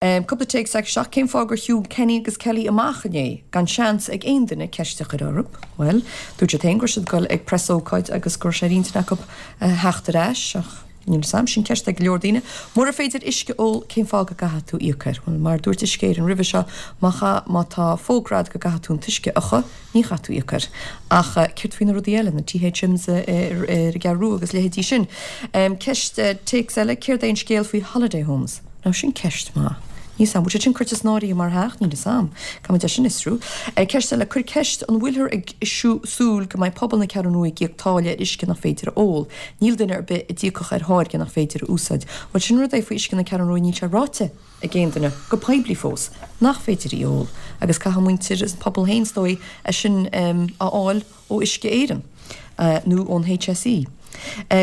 Cúpla téacs isteach, Cén fáth gur shiúil Kenny agus Kelly amach inné gan seans ag aon duine ceist a chur orthu? Bhuel, dúirt siad féin go raibh siad ag dul ag preasócáid agus go raibh sé ar intinn acu theacht ar ais, ach níl 'fhios a'm, sin ceist ag go leor daoine. Mura féidir uisce a ól, cén fáth go gcaithfidh tú íoc air? Bhuel, mar a dúirt Uisce Éireann roimhe seo, má cha, má tá fógra a'd go gcaithfidh tú an t-uisce a fhiuchadh, ní chaithfidh tú íoc air. Ach céard faoi na rudaí eile, na THMs ar an gCeathrú Rua agus leithéidí sin? Ceist, téacs eile, céard é an scéal faoi holiday homes? Now sin ceist maith. Níl 'fhios a'm, bhfuil sé sin curtha san áirithe mar theach? Níl 'fhios a'm. Caithfimid é sin a fhiosrú. Ceist eile, cuir ceist, an bhfuilthear ag súil go mbeidh pobal na Ceathrún Rua ag íoc táille ar uisce nach féidir a ól? Níl duine ar bith a d'íocfadh ar tháirge nach féidir a úsáid. Bhuel sin rud é faoi uisce na Ceathrún Rua, níl sé ráite ag aon duine, go poiblí fós, nach féidir í a ól agus caithfidh muintir an pobal féin is dóigh é sin a fháil ó Uisce Éireann nó ón HSE.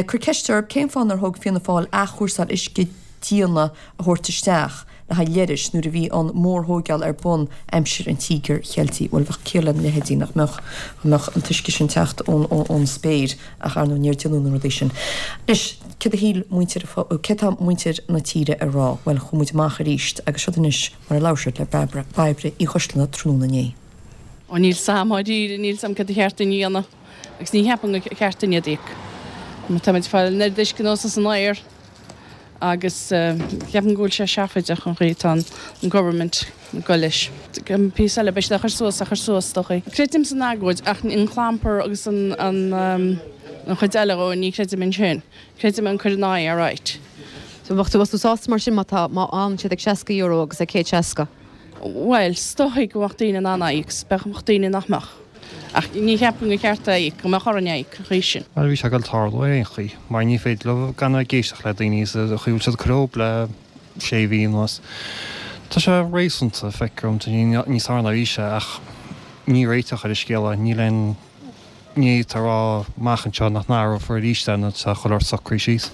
Cuir ceist orthu cén fáth nár thóg Fianna Fáil athchúrsáil uisce díona a thabhairt isteach le haghaidh leithris nuair a bhí an mhórthóigeáil ar bun aimsir an Tíogair Cheiltigh. Bhuel bheadh ciall lena leithéidí nach mbeadh, dá mbeadh an t-uisce sin teacht ón spéir ach ar ndóigh níor déanadh na rudaí sin. Anois céard a shíl muintir, céard tá muintir na tíre a rá? Bhuel chuaigh muid amach arís agus siod anois mar a labhair siad le Bairbre Uí Choisdealbha tráthnóna inné. Ó níl 's a'm dháiríre, níl 's a'm céard a cheart dúinn a dhéanamh agus ní cheapaim gur cheart dúinn iad a íoc. Mar táimid ag fáil an oiread uisce anuas as an oighear agus ceapaim go bhfuil sé seafóideach an chaoi atá an government ag dul leis. An píosa eile beidh siad á chur suas, á chur suas is dócha. Creidim san agóid ach an clampar agus an an chuid eile dhó ní chreidim ansin. Creidim an cur in aghaidh alright. So bheadh tú, bheadh tú sásta mar sin má tá, má fhanann siad ag €60 agus ag 160? Bhuel, is dóigh go mbeadh daoine in ann é a íoc, 's bheadh daoine nach mbeadh. Ach ní cheapaim gur cheart é a íoc, go mbeadh orainn é a íoc, an chaoi sin. Bhuel, bhí sé ag dul tarlú ar aon chaoi, mar ní féidir leo gan a bheith ag éisteacht le daoine sa chaoi a bhfuil siad ag cur orthu le sé mhí anuas. Tá sé réasúnta, feictear dom, tá sé níos fearr ná a bhí sé, ach ní réiteach ar an scéal é, níl aon ní atá a rá amach anseo nach n-athrófar arís é nuair atá chuile shórt socraithe síos.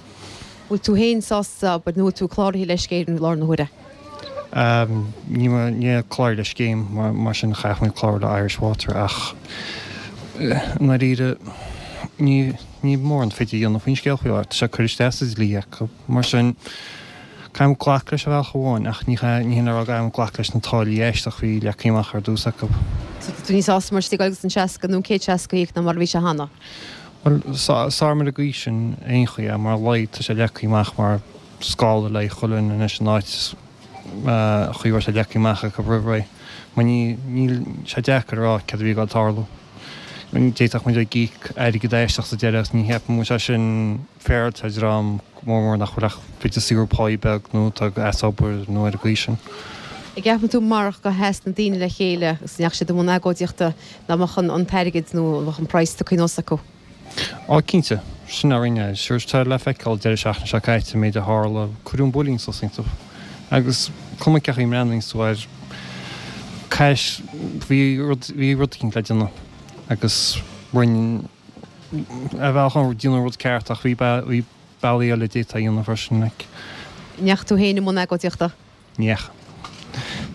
Bhfuil tú féin sásta, abair, nó bhfuil tú cláraithe le Uisce Éireann i láthair na huaire? Níl mé cláraithe le scéim, mar sin chaithfeadh mé clárú le Irish Water ach i ndáiríre ní níl mórán féidir a dhéanamh faoin scéal faoi láthair. Tá sé curtha isteach sa dlí acu, mar sin caithfidh muid glacadh leis ar bhealach amháin ach ní ní hin le rá go gcaithfidh muid glacadh leis na táillí aisteach a bhí leagtha amach ar dtús acu. So tá tú níos sásta mar sin ag dul agus an 60 nó an 160 a íoc ná mar a bhí sé cheana? Bhuel, is fearr ar an gcaoi sin aon chaoi é, mar a laghad tá sé leagtha amach mar scála le haghaidh chuile dhuine anois in áit an chaoi a raibh sé leagtha amach acu roimh ré. Mar ní, níl sé deacair a rá céard a bhí ag dul tarlú. D'fhéadfadh muid ag íoc airgead aisteach sa deireadh agus ní cheapaim go bhfuil sé sin féaráilte ar dhream go mór mór nach bhfuil ach b'fhéidir saothrú páí beag nó atá as obair nó ar an gcaoi sin. An gceapann tú marach gur sheas na daoine le chéile agus go ndeachaigh siad i mbun agóidíochta nach mbeadh an t-airgead nó an mbeadh an praghas tugtha anuas acu? Á cinnte, sin a rinne. Sure tá le feiceáil deireadh seachtaine seo caite an méid a tharla, cuireadh an builín suas iontu. Agus cuma cén chaoi a mbreathnaíonns tú air, caithfidh, bhí rud, bhí rud eicínt le déanamh agus rinne, ar bhealach amháin déanadh an rud ceart ach bhí, bhí bealaí eile a d'fhéadfá a dhéanamh freisin like. An ndeachaigh tú féin i mbun agóidíochta? Ní dheachaigh.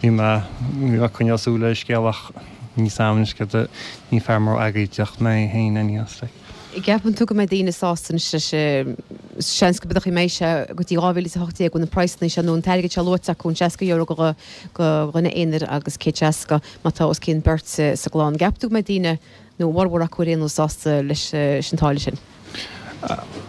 Bhí mé, bhí mé ag coinneáil súil ar an scéal ach níl 'fhios a'm anois céard a, ní fear mór agóidíochta mé féin anyhow like. An gceapann tú go mbeidh daoine sásta anois leis, seans go mbeidh mbeidh sé go dtí 2018 go bhfuil na praghsanna seo nó an t-airgead seo luaite acu, an €60 go go dhuine aonair agus 160 má tá os cionn beirt sa gclann. An gceapann tú go mbeidh daoine, nó a bhformhór acu ar aon nós, sásta leis an táille sin?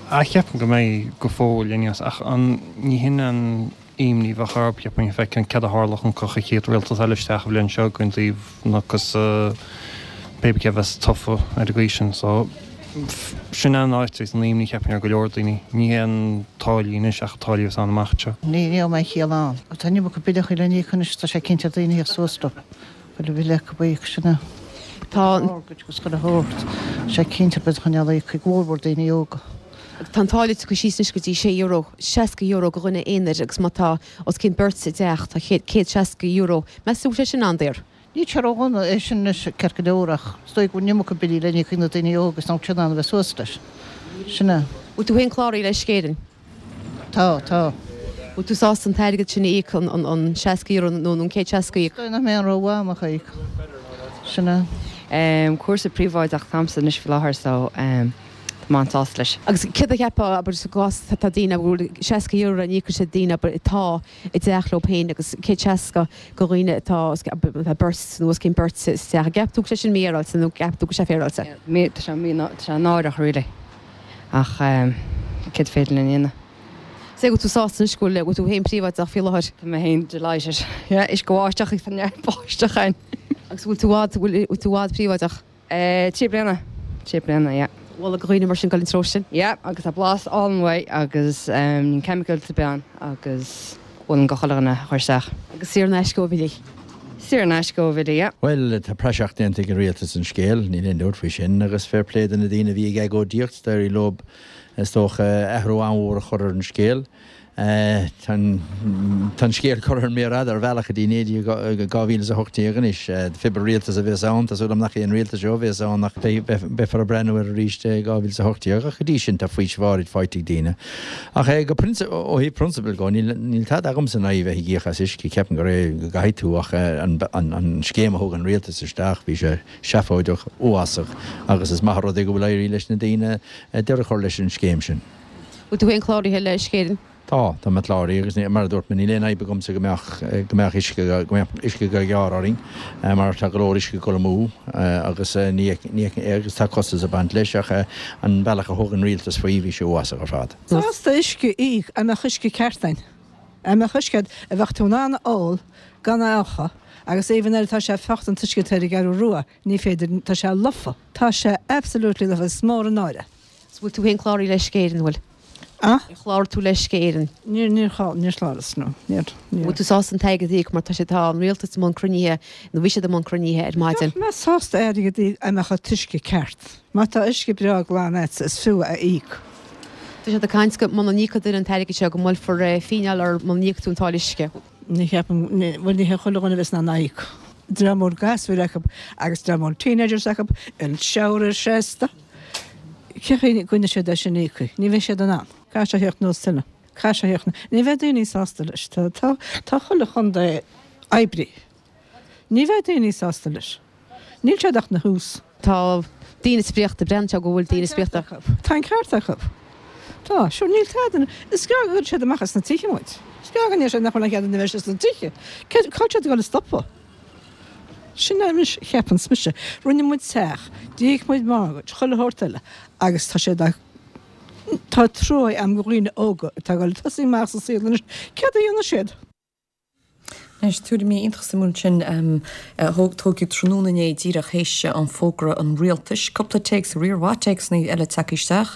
Ah ceapaim go mbeidh go fóill anyhow ach an, ní hin an imní a bheadh orthu, cheapfainn, feiceann céard a tharlódh an an chéad rialtas eile isteach an bhliain seo chugainn taobh na agus pé cé a bheas tofa ar an gcaoi sin. So, sin an áit agus an imní cheapfainn ar go leor daoine. Ní hé an táillí anois ach táillí a bheas ann amach anseo. Ní raibh mé chiall ann. Tá an iomarca billeachaí le n-íoc anois, tá sé cinnte ar daoine a theacht suas leo. Chuile bhille acu a íoc, sin é. Tá an. Mortgage agus chuile shórt. Tá sé cinnte beidh choinneáil íoc ag mórmhór daoine óga. Tá an táille tugtha síos anois go dtí €6, €60 go dhuine aonair agus má tá os cionn beirt i dteach tá €160. Meas tú go bhfuil sé sin an-daor? Níl sé ródhona é sin anois ceart go leor ach is dóigh go bhfuil an iomarca billí le n-íoc ag na daoine óga is nach bhfuil siad in ann a bheith suas leis. Sin é. Bhfuil tú féin cláraithe le Uisce Éireann? Tá, tá. Bhfuil tú sásta an t-airgead sin a íoc, an €60 nó an 160 a íoc? Is dóigh nach mbeidh aon rogha agam ach é a íoc. Sin é. Cúrsa príobháideach atáimse anois faoi láthair so tá Tá mé an-sásta leis. Agus céard a cheapfá, abair, sa gcás tá daoine a bhfuil €60 le n-íoc ag daoine, abair, atá i dteach leo féin agus 160 go dhaoine atá, atá beirt nó os cionn beirt sa teach. An gceapann tú go bhfuil sé sin mífhéaráilte nó an gceapann tú go bhfuil sé féaráilte? Tá sé mí, tá sé náireach really. Ach céard féidir linn a dhéanamh? Sé go bhfuil tú sásta anois go bhfuil, go bhfuil tú féin príobháideach faoi láthair? Tá mé féin delighted. Yeah, uisce báisteach agus tá neart báisteach ann. Agus bhfuil tú i bhfad, bhfuil tú i bhfad príobháideach? 3 bliana. 3 bliana, yeah. Mholfá do dhaoine mar sin dul an treo sin? Yeah, agus tá blas álainn uaidh agus níl chemicals ar bith ann agus mholfainn go chuile dhuine a chur isteach. Agus saor in aisce ó Bhillí. Saor in aisce ó Bhillí, yeah. Bhuel, tá praiseach déanta ag an rialtas den scéal, níl aon dabht faoi sin, agus fair play do na daoine a bhí ag agóidíocht, d'éirigh leo, is dócha, athrú an-mhór a chur ar an scéal. Tá an scéal curtha ar an méar fhada ar bhealach go dtí 2018 anois. Pé rialtas a bheas ann, tá súil agam nach é an rialtas seo a bheas ann ach beifear ag breathnú air arís i 2018 ach go dtí sin tá faoiseamh áirid faighte ag daoine. Ach go ó thaobh prionsabail dhó, níl tada agamsa in aghaidh bheith ag íoc as uisce, ceapaim gur é go gcaithfidh tú ach an scéim a thug an rialtas isteach, bhí sé seafóideach, uafásach agus is maith an rud é go bhfuil éirithe leis na daoine deireadh a chur leis an scéim sin. Bhfuil tú féin cláraithe le Uisce Éireann? Tá, tá mé cláraithe agus mar a dúirt mé níl aon fhadhb agamsa go mbeadh, go mbeadh uisce, go mbeadh uisce á ghearradh orainn mar tá go leor uisce ag dul amú agus ní, ní, agus tá costas ag baint leis ach an bealach a thug an rialtas faoi bhí sé uafásach ar fad. Sásta uisce a íoc dá mbeadh uisce ceart ann. Dá mbeadh uisce a bheadh tú in ann a ól gan a fhiuchadh agus even nuair atá sé fiuchta an t-uisce atá ar an gCeathrú Rua ní féidir, tá sé lofa. Tá sé absolutely lofa, is mór an náire. 'S bhfuil tú féin cláraithe le Uisce Éireann, bhfuil? A? Ar chláraigh tú le Uisce Éireann? Níor, níor chláraigh, níor chláraigh, no, níor, níor. Bhfuil tú sásta an t-airgead a íoc mar tá sé, tá an rialtas i mbun cruinnithe, nó bhí siad i mbun cruinnithe ar maidin. Bheadh mé sásta airgead a íoc dá mbeadh an t-uisce ceart. Má tá uisce breá glan a'dsa is fiú é a íoc. Tá siad ag caint go muna n-íocfaidh duine an t-airgead seo go mbuailfear fíneáil air muna n-íocfaidh tú an táille uisce. Ní cheapaim, bhuel ní hé chuile dhuine a bheas in ann a íoc. Dream mór gasúir acu agus dream mór teenagers acu, an shower seasta. Cén chaoi a gcoinneoidh siad é sin íoctha? Ní bheidh siad in ann. Caithfidh sé a theacht anuas tuilleadh. Caithfidh sé a theacht anuas. Ní bheidh daoine sásta leis. Tá, tá, tá chuile chontae oibrithe. Ní bheidh daoine sásta leis. Níl siad ach ina thús. Tá daoine spríochta. Breathnaíonn sé go bhfuil daoine spríochta. Tá an ceart acu. Tá. Sure, níl tada. Is gearr go gcuirfidh siad amach as na tithe muid. Is gearr go ndéarfaidh siad nach bhfuil aon chead againn a bheith sna tithe. Cá bhfuil siad ag dul a stopadh? Sin é anois a cheapanns mise. Rinne muid teach, d'íoc muid mortgage, chuile shórt eile agus tá siad á, tá trua a'm go dhaoine óga atá ag dul ag tosaí amach sa saol anois, céard a dhéanfaidh siad? Anois, tuairimí iontach suimiúil ansin a tógadh tráthnóna inné díreach théis an fógra an rialtais. Cúpla téacs, riar mhaith téacsanna eile tagtha isteach.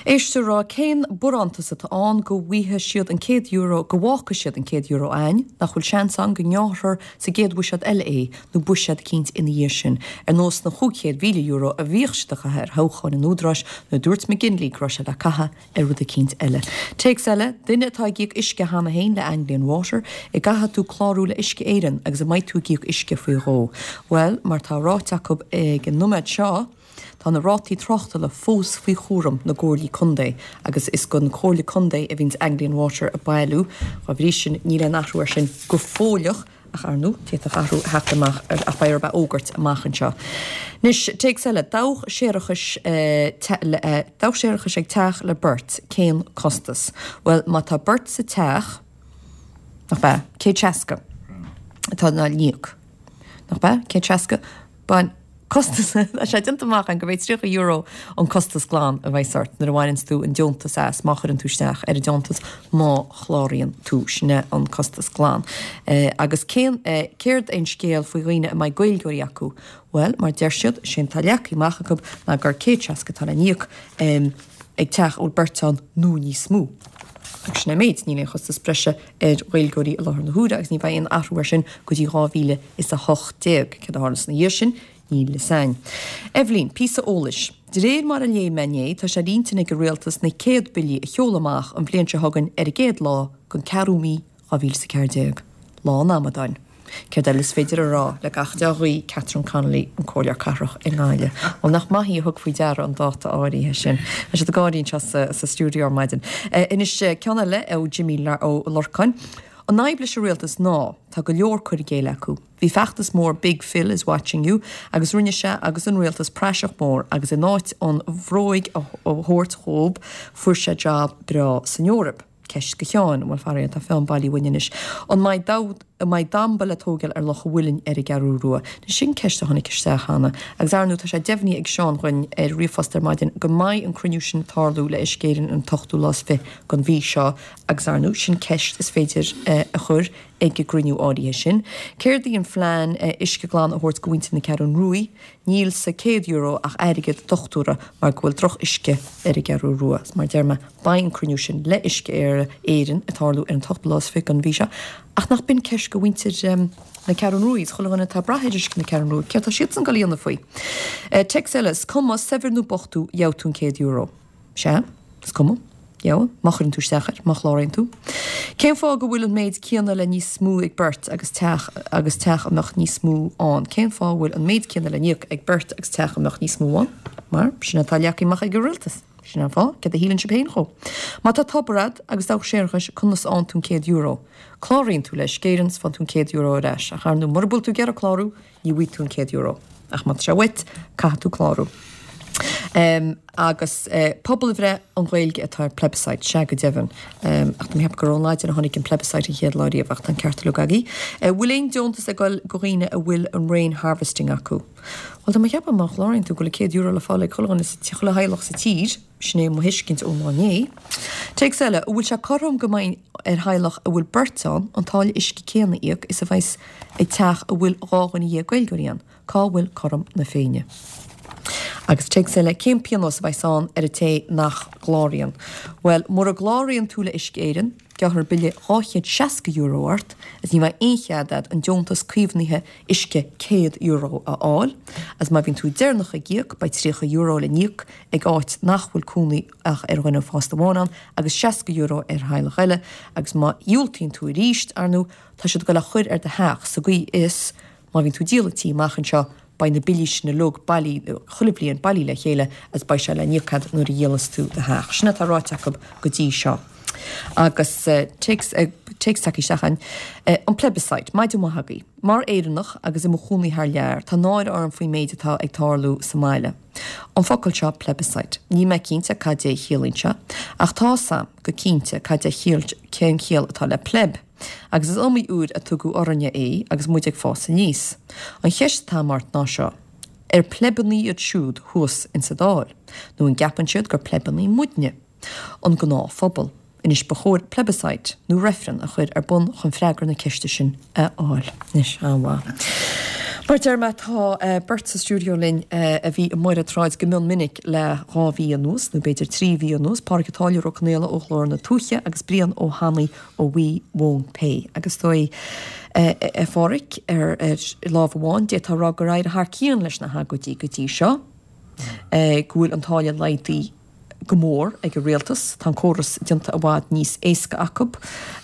Éisteoir ag rá cén barántas atá ann go bhfaighidh siad an €100, go bhfágfaidh siad an €100 a'ainn, nach bhfuil seans ann go ngearrfar sa gcéad bhuiséad eile é nó buiséad eicínt ina dhiaidh sin, ar nós na €500,000 a bhíodh siad a chaitheamh ar thoghcháin an Údaráis nuair a dúirt McGinley go raibh sé le caitheamh ar rud eicínt eile. Téacs eile, duine atá ag íoc uisce cheana féin le Anglian Water, an gcaithfidh tú clárú le Uisce Éireann agus an mbeidh tú ag íoc uisce faoi dhó? Bhuel, mar tá ráite acu ag an noiméad seo, Tá na rátaí tráchtala fós faoi chúram na gcomhairlí contae agus is don chomhairle contae a bhíonns Anglian Water ag bailiú. Dá bhrí sin, níl aon athrú air sin go fóilleach ach ar ndóigh, d'fhéadfadh athrú a theacht amach ach beidh orthu a fhógairt amach anseo. Anois, téacs eile, Dabhach séarachais Dabhach séarachais ag teach le beirt, cén costas? Bhuel, má tá beirt sa teach, nach b'ea? 160 atá le n-íoc. Nach b'ea? 160? Bain costas, tá sé déanta amach againn gurb é €30 an costas glan a bheas ort nuair a bhaineanns tú an deontas as, má chuireann tú isteach ar an deontas, má chláraíonn tú, sin é an costas glan. Agus cén, céard é an scéal faoi dhaoine a mbeidh Gaeilgeoirí acu? Bhuel, mar deir siad, sé atá leagtha amach acu ná gur 160 atá le n-íoc ag teach a bhfuil beirt ann nó níos mó. Agus sin é an méid, níl aon chostas breise ar Ghaeilgeoirí i láthair na huaire agus ní bheidh aon athrú air sin go dtí 2018. Céard a tharlas ina dhiaidh sin, níl fhios a'inn. Eibhlín, píosa eolais. De réir mar a léigh mé inné, tá sé ar intinn ag an Rialtas na céad billí a sheoladh amach an bhliain seo chugainn ar an gcéad lá den ceathrú mí 2014. Lá an amadáin. Céard eile is féidir a rá le gach dea-ghuí, Catherine Connolly, an Comhairleoir Cathrach i nGaillimh. Bhuel, nach maith í a thug faoi deara an dáta áirithe sin. Tá siad ag gáirí anseo sa stiúideo ar maidin. Anois, ceann eile ó Jimmy Ó Lorcáin. An fhadhb leis an rialtas ná, tá go leor cur i gcéill acu. Bhí feachtas mór Big Phil is watching you agus rinne sé agus an rialtas praiseach mór agus in áit an bhróig a thabhairt dhób fuair sé job breá san Eoraip. Ceist go Sheáin, bhuel faraor tá Fionn bailithe uainn anois, an mbeidh an mbeidh damba le tógáil ar Loch a' Mhuilinn ar an gCeathrú Rua? Anois sin ceist a tháinig isteach cheana. Agus ar ndóigh tá sé deimhnithe ag Seán dhuinn ar ríomhphost ar maidin go mbeidh an cruinniú sin ag tarlú le Uisce Éireann an t-ochtú lá is fiche den mhí seo agus ar ndóigh sin ceist is féidir a chur ag an gcruinniú áirithe sin. Céard í an phlean uisce glan a thabhairt go mhuintir na Ceathrún Ruaidh? Níl sa €100 ach airgead dochtúra mar go bhfuil droch uisce ar an gCeathrú Rua. Is mar a deir mé, beidh an cruinniú sin le Uisce Éireann ag tarlú ar an t-ochtú lá is fiche den mhí seo. Ach nach b'in ceist go mhuintir na Ceathrún Ruaidh is chuile dhuine atá ag brath ar uisce na Ceathrún Rua, céard tá siadsan ag dul a dhéanamh faoi? Téacs eile, is cuma, saibhir nó bocht thú, gheobhaidh tú an €100. Sea, is cuma. Gheobhaidh, má chuireann tú isteach air, má chláraíonn tú. Cén fáth go bhfuil an méid céanna le níos mó ag beirt agus teach agus teach a mbeadh níos mó ann? Cén fáth a bhfuil an méid céanna le n-íoc ag beirt agus teach a mbeadh níos mó ann? Mar sin atá leagtha amach ag an rialtas. Sin an fáth. Céard a shíleann sibh féin dhó? Má tá tobar a'd agus dabhach séarachais, conas a fhaigheann tú an €100? Cláraíonn tú le Uisce Éireann 's faigheann tú an €100 ar ais. Ach ar ndóigh, mura bhfuil tú ag iarraidh clárú, Ní bhfaighidh tú an €100. Ach má tá sé uait, caithfidh tú clárú. Agus pobalbhreith, an Ghaeilge atá ar plebiscite, sea go deimhin. Ach tá mé ag ceapadh gur ón Laidin a tháinig an plebiscite an chéad lá riamh, ach tá an ceart uilig agaibh. Bhfuil aon deontas ag dul go dhaoine a bhfuil an rain harvesting acu? Bhuel, tá mé ag ceapadh má chláraíonn tú go bhfuil €100 le fáil ag chuile dhuine sa, chuile theaghlach sa tír. Sin é mo thuiscint ón lá inné. Téacs eile, an bhfuil sé cothrom go mbeidh ar theaghlach a bhfuil beirt ann an táille uisce céanna a íoc is a bheas ag teach a bhfuil 12 Gaeilgeoirí ann? Cá bhfuil cothrom na Féinne? Agus téacs eile, cén pionós a bheas ann ar an té nach gcláraíonn? Bhuel, mura gcláraíonn tú le Uisce Éireann, gearrfar bille €260 ort agus ní bheidh aon chead agat an deontas caomhnaithe uisce €100 a fháil. Agus má bhíonn tú deireanach ag íoc, beidh €30 le n-íoc ag áit nach bhfuil cónaí ach ar dhuine fásta amháin ann agus €60 ar theaghlach eile agus má dhiúltaíonn tú arís, ar ndóigh, tá siad ag dul a chur ar do theach sa gcaoi is má bhíonn tú ag díol an tí amach anseo beidh na billí sin uilig bailí chuile bhliain bailí le chéile agus beidh sé le n-íoc agat nuair a dhíolas tú do theach. Sin atá ráite acu go dtí seo. Agus téacs téacs tagtha isteach againn. An plebiscite. Maidin mhaith agaibh. Mar Éireannach agus i mo chónaí thar lear, tá náire orm faoin méid atá ag tarlú sa mbaile. An focal seo plebiscite, níl mé cinnte cad é a chiallaíonn sé, ach tá 's a'm go cinnte cad é chiall, cén chiall atá le pleb, agus is iomaí uair a tugadh orainne é agus muid ag fás aníos. An cheist atá a'm ort ná seo, ar pleibeanna iad siúd thuas insa Dáil, nó an gceapann siad gur pleibeanna muidne? An gnáthphobal. Anois ba chóir plebiscite, nó reifreann, a chur ar bun chun freagra na ceiste sin a fháil. Anois, an-mhaith. Mar a deir mé, tá beirt sa stiúideo linn a bhí amuigh ar an tsráid go mion minic le dhá mhí anuas, nó b'fhéidir trí mhí anuas, Pádraig an Táilliúir Ó Conaola ó Ghlór na Tuaithe agus Brian Ó hAnnaidh ó We Won't Pay. Agus is dóigh, a Phádraig, ar lámh amháin, d'fhéadfá a rá gur éirigh thar cionn leis na hagóidí go dtí seo, go bhfuil an táille laghdaithe, go mór ag an rialtas. Tá an córas déanta i bhfad níos éasca acu.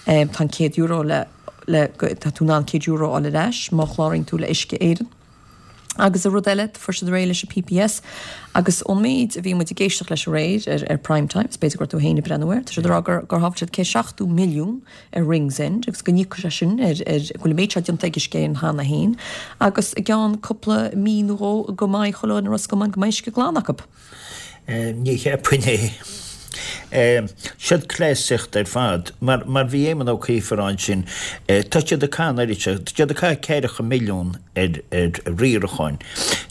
Tá an €100 le le tá tú in ann €100 a fháil ar ais má chláraíonn tú le Uisce Éireann. Agus an rud eile, fuair siad réidh leis an PPS agus ón méid a bhí muid ag éisteacht leis aréir ar ar Prime Time, is b'fhéidir go raibh tú féin ag breathnú air, tá siad ag rá gur gur shábháil siad 170 milliún ar Ringsend agus go n-íocfaidh sé sin ar ar go bhfuil an méid seo déanta ag Uisce Éireann cheana féin agus i gceann cúpla mí nó dhó go mbeidh chuile dhuine i Ros Comáin go mbeidh uisce glan acu. Ní cheapfainn é. Siod cleasaíocht ar fad. Mar, mar bhí Éamon Ó Cuív ag rá ansin, tá siad ag caitheamh an oiread seo, tá siad ag caitheamh ceathracha milliún ar, ar riarachán.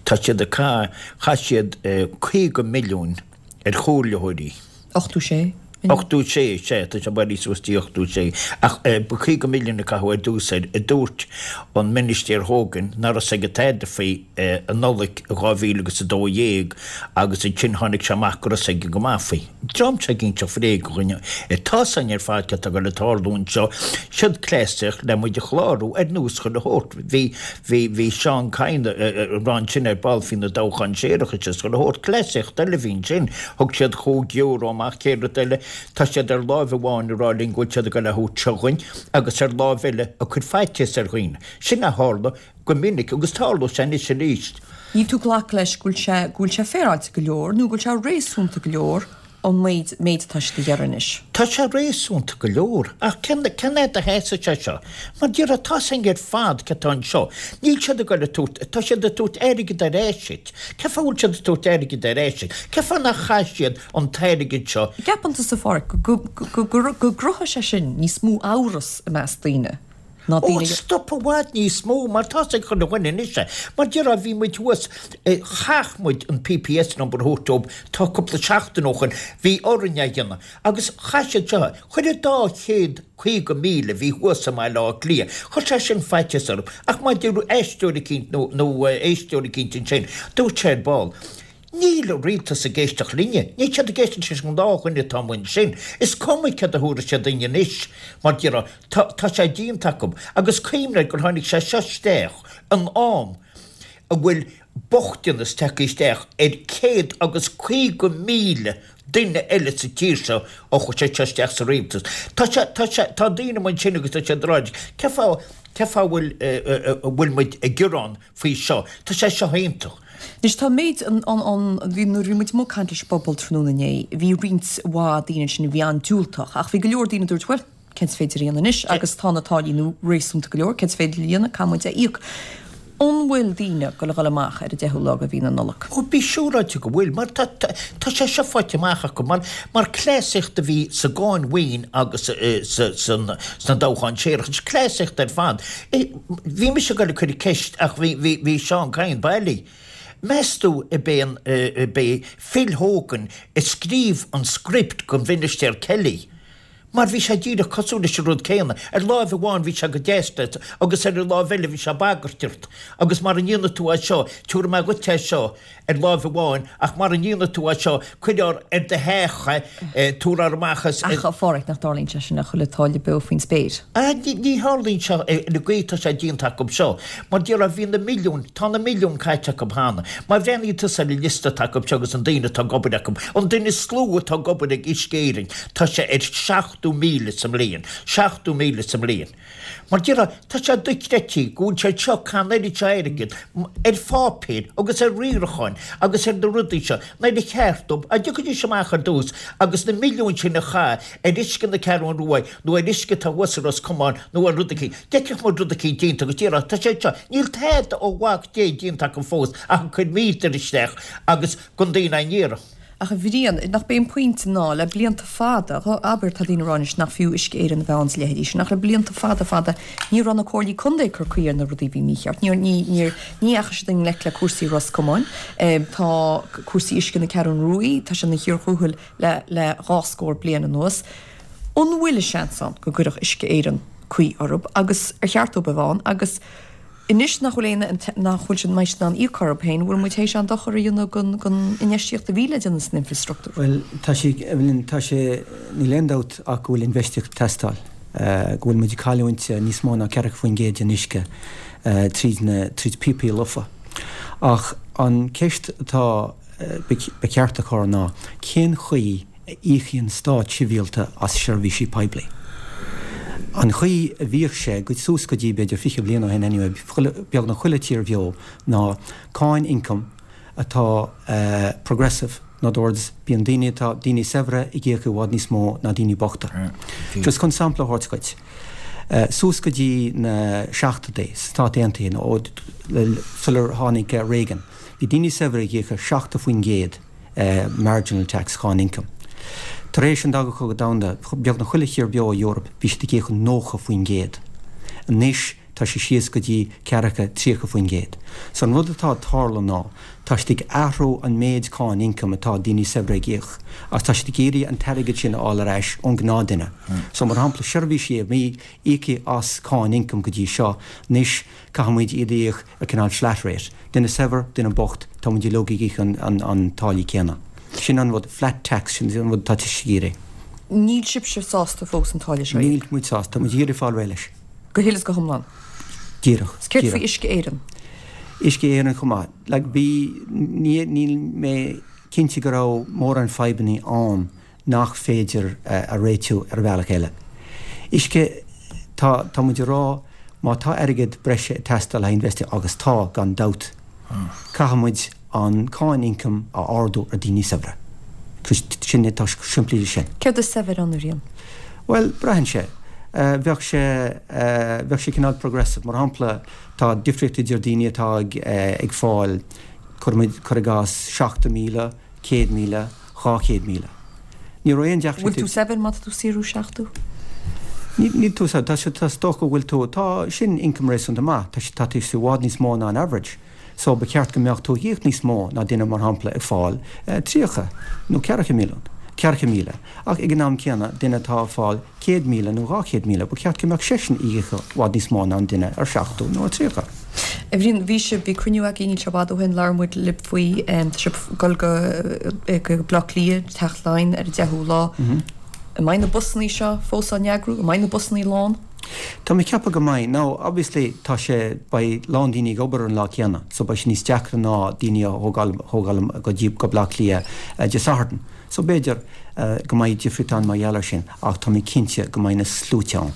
Tá siad ag caitheamh, chaith siad 50 milliún ar chomhairleoirí. 86. 86, sea, tá sé bailithe suas dtí 86. Ach ba 50 milliún a caitheadh ar dtús air, a dúirt an Ministéir Hogan nach raibh 's aige tada faoi i Nollaig 2012 agus ansin tháinig sé amach go raibh 's aige go maith faoi. Dream seo ag inseacht bhréige do dhaoine. Tá 's againn ar fad céard atá ag dul ag tarlú anseo. Siod cleasaíocht le muid a chlárú ar nós chuile shórt. Bhí, bhí, bhí Seán Kyne ag rá ansin ar ball faoi na toghcháin séarachais is chuile shórt. Cleasaíocht eile a bhí ansin. Thug siad chúig euro amach, chéad rud eile, tá siad ar láimh amháin ag rá linn go bhfuil siad ag dul a thabhairt seo dhuinn agus ar láimh eile ag cur faitíos ar dhaoine. Sin a tharla go minic agus tarlóidh sé anois arís. Níl tú ag glacadh leis go bhfuil sé, go bhfuil sé féaráilte go leor nó go bhfuil sé réasúnta go leor. An méid méid atá siad a ghearradh anois? Tá sé réasúnta go leor, ach cén cén fhad a sheasfaidh sé seo? Mar déarfá, tá's againn ar fad cé atá anseo. Níl siad ag goil ag tabhairt, tá siad ag tabhairt airgead ar ais duit. Cén fáth a bhfuil siad ag tabhairt airgead ar ais duit? Cén fáth nár chaith siad an t-airgead seo? Ceapann tusa, a Pháraic, go go go go gcruthaigh sé sin níos mó amhras i measc daoine ná Ó, daoine. stop i bhfad níos mó, mar tá's ag chuile dhuine anois é. Mar déarfá, bhí muid thuas, chaith muid an PPS number a thabhairt dóibh, tá cúpla seachtain ó shoin, bhí orainn é a dhéanamh. Agus chaith siad seo, chuir an dá chéad 50,000 a bhí thuas i mBaile Átha Cliath, chuir sé sin faitíos orthu. Ach mar deir aisteoir eicínt nó, nó éisteoir eicínt ansin, dúirt sé ar ball, Níl an rialtas ag éisteacht linne. Níl siad ag éisteacht leis an ngnáthdhuine atá amuigh ansin. Is cuma céard a thabharfaidh siad duinn anois, mar déarfá, tá, tá sé déanta acu. Agus cuimhnigh gur tháinig sé seo isteach in am a bhfuil bochtanas tagtha isteach ar céad agus 50,000 duine eile sa tír seo ó chuaigh sé seo isteach sa rialtas. Tá sé, tá sé, tá daoine amuigh ansin agus tá siad ag rá, cén fáth, cén fáth a bhfuil, a bhfuil muid ag gearán faoi seo? Tá sé seo iontach. Anois tá méid an, an, an, bhí, nuair a bhí muid amuigh ag caint leis an bpobal tráthnóna inné, bhí roinnt mhaith daoine ansin a bhí an-diúltach ach bhí go leor daoine a dúirt, bhuel, céard is féidir a dhéanamh anois agus tá na táillí nua réasúnta go leor, céard is féidir a dhéanamh, caithfidh muid é a íoc. An bhfuil daoine ag goil a dhul amach ar an deichiú lá de mhí na Nollag? Ó, bí siúráilte go bhfuil, mar tá, tá, tá sé seo faighte amach acu, mar, mar cleasaíocht a bhí sa gcáin mhaoin agus sa, san, sna toghcháin séarachais, cleasaíocht ar fad. Bhí mise ag goil ag cur ceist ach bhí, bhí, bhí Seán Kyne bailí. Meas tú ab é an, ab é Phil Hogan a scríobh an script don Mhinistéir Kelly? Mar bhí sé díreach cosúil leis an rud céanna. Ar láimh amháin bhí sé go deas leat agus ar an láimh eile bhí sé ag bagairt ort. Agus mara ndéana tú é seo, tabharfaidh mé dhuit é seo ar láimh amháin ach mara ndéana tú é seo, cuirfear ar do theach é, tabharfar amach as. Ach, a Pháraic, nach dtarlaíonn sé sin le chuile táille beo faoin spéir? Ah, ní tharlaíonn sé ar an gcaoi atá sé déanta acu seo. Mar déarfá, bhí na milliúin, tá na milliúin caite acu cheana. Má bhreathnaíonn tusa ar an liosta atá acu seo agus an daoine atá ag obair acu, an duine is lú atá ag obair ag Uisce Éireann, tá sé ar 70,000 sa mbliain. 70,000 sa mbliain. Mar déarfá, tá sé dochreidte go bhfuil siad seo ag caitheamh an oiread seo airgid ar pháipéir agus ar riaracháin agus ar na rudaí seo nuair ar cheart dóibh dá dtiocfaidís amach ar dtús agus na milliúin sin a chaitheamh ar uisce na Ceathrún Rua nó ar uisce atá thuas i Ros Comáin nó ar rud eicínt. D'fheicfeadh muid rud eicínt déanta agus déarfá, tá sé seo, níl tada ó mhac Dé déanta acu fós ach ag cur míotar isteach agus gan daoine á n-iarraidh. Ach a Bhriain, nach b'é an pointe ná, le blianta fada, abair, tá daoine ag rá anois nach fiú Uisce Éireann a bheith ann is a leithéidí sin, ach le blianta fada fada ní raibh na comhairlí contae ag cur caoi ar na rudaí a bhí mícheart. Níor, ní, níor, ní dheachaigh siad i ngleic le cúrsaí Ros Comáin. Tá cúrsaí uisce na Ceathrún Ruaidh, tá sé ina chíor thuathail le, le dhá scór bliain anuas. An bhfuil seans ann go gcuirfeadh Uisce Éireann caoi orthu agus ar cheart dóibh a bheith ann agus anois nach bhfuil aon, nach bhfuil siad, mbeidh siad in ann íoc orthu féin, an bhfuil muid théis an-dochar a dhéanamh don, don infheistíocht a bhí le déanamh san infreastruchtúr? Bhuel, tá sé, Evelyn, tá sé, níl aon dabht ach go bhfuil infheistíocht ag teastáil, go bhfuil muid ag cailliúint níos mó ná 40% den uisce tríd na, tríd píopaí lofa. Ach an ceist atá, ba cheart a chur ná cén chaoi a íocann stát sibhialta as seirbhísí poiblí. An chaoi a bhíodh sé, go suas go dtí b'fhéidir 20 bliain ó shin anyway, beagnach chuile tír bheo, ná cáin ioncaim atá progressive, in other words, bíonn daoine atá, daoine saibhre ag íoc i bhfad níos mó ná daoine bochta. Just chun sampla a thabhairt dhuit, suas go dtí na seachtóidí, sna Stáit Aontaithe, nó sular tháinig Reagan, bhí daoine saibhre ag íoc 70%, marginal tax, cáin ioncaim. Tar éis an Dara Cogadh Domhanda, beagnach chuile thír bheo i Eoraip, bhí siad ag íoc 90%. Anois tá sé síos go dtí ceathracha, 30%. So an rud atá ag tarlú ná, tá siad ag athrú an méid cáin ioncaim atá daoine saibhre ag íoc, agus tá siad ag iarraidh an t-airgead sin a fháil ar ais ón gnáthduine. So mar shampla, seirbhísí a bhí íoctha as cáin ioncaim go dtí seo, anois caithfidh muid iad a íoc ar cineál flat rate. Duine saibhir, duine bocht, tá muid uilig ag íoc an táillí céanna. Sin an rud, flat tax, sin an rud atá siad ag iarraidh. Níl sibhse sásta fós an táille seo a íoc? Níl muid sásta, tá muid ag iarraidh fáil réidh leis. Go huile is go hiomlán? Díreach, Is céard faoi Uisce Éireann? Uisce Éireann chomh maith. Like, bhí, ní, níl mé cinnte go raibh mórán fadhbanna ann nach féidir a réitiú ar bhealach eile. Uisce, tá, tá muid ag rá má tá airgead breise ag teastáil le haghaidh infheistíocht, agus tá, gan dabht, caithfidh muid an cáin ioncaim a ardú ar daoine saibhre. Sin é, tá sé simplí leis sin. Céard is saibhir ann, a Bhriain? Bhuel, braitheann sé. Bheadh sé, bheadh sé cineál progressive. Mar shampla, tá difríocht idir daoine atá ag, ag fáil, cuirimid, cuir i gcás, 70,000, 100,000, 200,000. Ní raibh aon deacracht. Bhfuil tú saibhir má tá tú saothrú 70? Níl tú saibhir. Tá sé, tá, is dócha go bhfuil tú, tá, sin income réasúnta maith. Tá sé, tá tú i bhfad níos mó ná an average. So ba cheart go mbeadh tú ag íoc níos mó ná duine mar shampla ag fáil 30 nó ceathracha milliún, 40,000. Ach ag an am céanna, duine atá ag fáil 100,000 nó 200,000, ba cheart go mbeadh seisean ag íoc i bhfad níos mó ná an duine ar 70 nó ar 30. A Bhriain, bhí sibh, bhí cruinniú againn níl sé i bhfad ó shin, labhair muid libh faoi, tá sibh ag dul go, go Bleá Cliath, Teach Laighean ar an 10ú lá. An mbeidh na busannaí seo fós á n-eagrú? An mbeidh na busannaí lán? Tá mé ag ceapadh go mbeidh. Now, obviously, tá sé, beidh a lán daoine ag obair ar an lá céanna, so beidh sé níos deacra ná daoine a thógáil, thógáil go dtí, go Bleá Cliath Dé Sathairn. So b'fhéidir go mbeidh difríocht ann mar gheall air sin, ach tá mé cinnte go mbeidh na sluaite ann.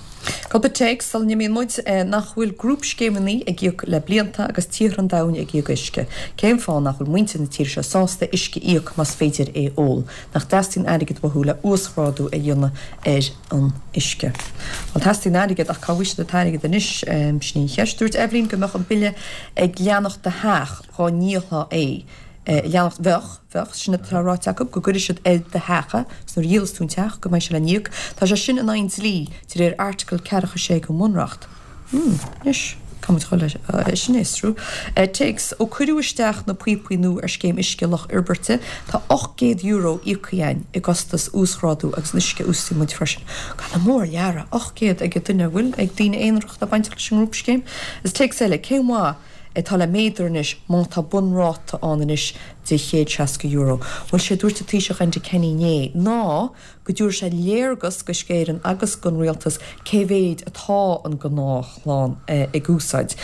Cúpla téacs sula n-imíonn muid, nach bhfuil grúpscéimeanna ag íoc le blianta agus tíortha an domhain ag íoc uisce. Cén fáth nach bhfuil muintir na tíre seo sásta uisce a íoc más féidir é ól? Nach dteastaíonn airgead uathu le uasghrádú a dhéanamh ar an uisce. Bhuel, teastaíonn airgead, ach cá bhfaighidh siad an t-airgead anois? Sin í an cheist. Dúirt Eibhlín go mbeadh an bille ag leanacht do theach dhá ndíolfá é. Leanacht, bheadh, bheadh, sin atá ráite acu, go gcuirfidh siad ar do theach é, is nuair a dhíolas tú an teach, go mbeidh sé le n-íoc. Tá sé sin in aghaidh an dlí, de réir Airteagal 46 den Bhunreacht. Hmm, anois, caithfidh muid dhul le sin a fhiosrú. Téacs, Ó cuireadh isteach na píopaí nua ar scéim uisce Loch Íobairte, tá €800 íoctha againn i gcostas uasghrádú agus an uisce a úsáideann muid freisin. Go mór leara, 800 ag duine, bhfuil ag daoine aonarach atá bainteach leis an ngrúpscéim? Is téacs eile, cén mhaith atá le méadar anois má tá bunráta ann anois de €160? Bhuel, sé dúirt an Taoiseach Enda Kenny inné ná go dtabharfaidh sé léargas d'Uisce Éireann agus don Rialtas cé mhéid atá an gnáthchlann ag úsáid.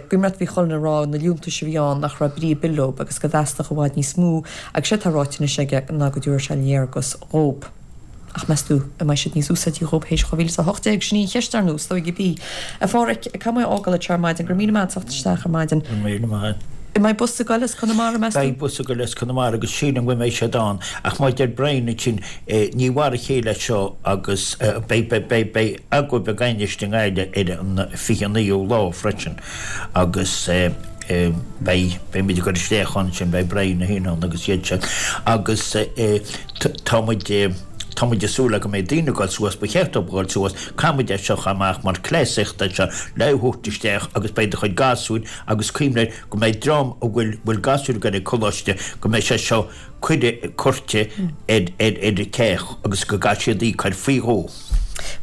Cuimhin leat bhí chuile dhuine ag rá na liúntais a bhí ann nach raibh brí ar bith leob agus go dteastódh i bhfad níos mó agus sé atá ráite anois aige ná go dtabharfaidh sé léargas dhób. Ach meas tú an mbeidh siad níos úsáidí dhób théis 2018? Sin í an cheist ar ndóigh, is dóigh gurb í. A Pháraic, caithfidh mé a fhágáil anseo ar maidin. Go raibh míle maith agat as teacht isteach ar maidin. Go raibh míle maith. An mbeidh bus ag goil as Conamara, meas tú? Beidh bus ag goil as Conamara agus sílim go mbeidh siad ann ach mar a deir Brian ansin ní mar a chéile é seo agus beidh beidh beidh agóid beag anois i nGaillimh ar an 29ú lá freisin agus beidh beidh muid ag goil isteach ann sin beidh Brian féin ann agus iad sin agus tá muid tá muid ag súil le go mbeidh daoine ag goil suas ba cheart dóibh goil suas caithfidh muid é seo a chur amach mar cleasaíocht é seo le thabhairt isteach agus beidh do chuid gasúir agus cuimhnigh go mbeidh dream a bhfuil bhfuil gasúir ag goil ag coláiste go mbeidh sé seo cuire curtha ar ar ar an teach agus go gcaithfidh siad íoc air faoi dhó.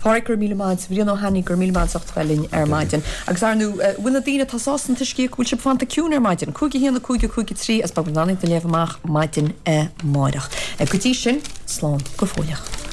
Pháraic, go raibh míle maith agat. Bhrian Ó hAnnaidh, go raibh míle maith agat as ucht a bheith linn ar maidin. Agus ar ndóigh, bhfuil na daoine atá sásta an t-uisce a íoc, bhfuil sibh fanta ciúin ar maidin? 5 1 5 5 3 agus beidh muid in ann iad a léamh amach maidin amáireach. Go dtí sin, slán go fóilleach.